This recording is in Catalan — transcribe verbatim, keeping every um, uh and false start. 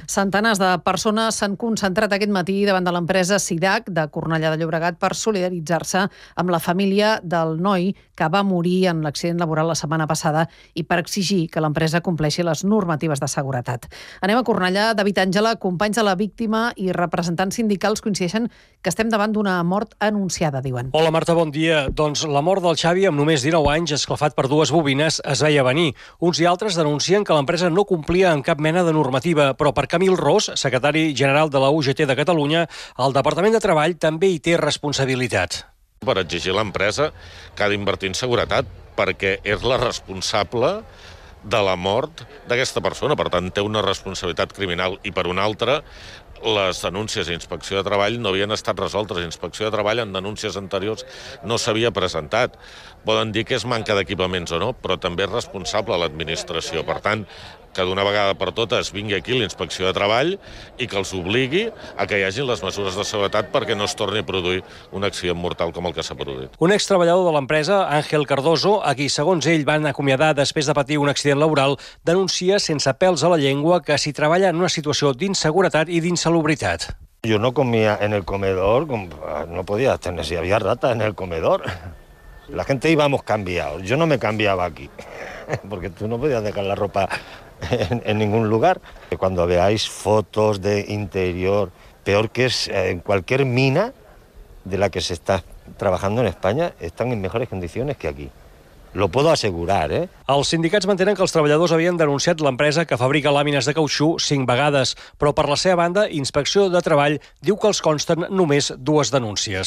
Centenars de persones s'han concentrat aquest matí davant de l'empresa SIDAC de Cornellà de Llobregat per solidaritzar-se amb la família del noi que va morir en l'accident laboral la setmana passada i per exigir que l'empresa compleixi les normatives de seguretat. Anem a Cornellà. David Àngela, companys de la víctima i representants sindicals coincideixen que estem davant d'una mort anunciada, diuen. Hola Marta, bon dia. Doncs la mort del Xavi, amb només dinou anys, esclafat per dues bobines, es veia venir. Uns i altres denuncien que l'empresa no complia amb cap mena de normativa, però per Camil Ros, secretari general de la U G T de Catalunya, el Departament de Treball també hi té responsabilitat. Per exigir a l'empresa que ha d'invertir en seguretat, perquè és la responsable de la mort d'aquesta persona. Per tant, té una responsabilitat criminal. I per una altra, les denúncies d'Inspecció de Treball no havien estat resoltes. Inspecció de Treball en denúncies anteriors no s'havia presentat. Poden dir que és manca d'equipaments o no, però també és responsable l'administració. Per tant, que d'una vegada per totes vingui aquí l'Inspecció de Treball i que els obligui a que hi hagin les mesures de seguretat perquè no es torni a produir un accident mortal com el que s'ha produït. Un extreballador de l'empresa, Àngel Cardoso, a qui segons ell van acomiadar després de patir un accident laboral, denuncia sense pèls a la llengua que s'hi treballa en una situació d'inseguretat i d'insalubritat. Yo no comía en el comedor, no podía tener, si había ratas en el comedor. La gente íbamos cambiados, yo no me cambiaba aquí, porque tú no podías dejar la ropa en, en ningún lugar. Cuando veáis fotos de interior, peor que es en cualquier mina de la que se está trabajando en España, están en mejores condiciones que aquí. Lo puedo asegurar, eh? Els sindicats mantenen que els treballadors havien denunciat l'empresa que fabrica làmines de cautxú cinc vegades, però per la seva banda, Inspecció de Treball diu que els consten només dues denúncies.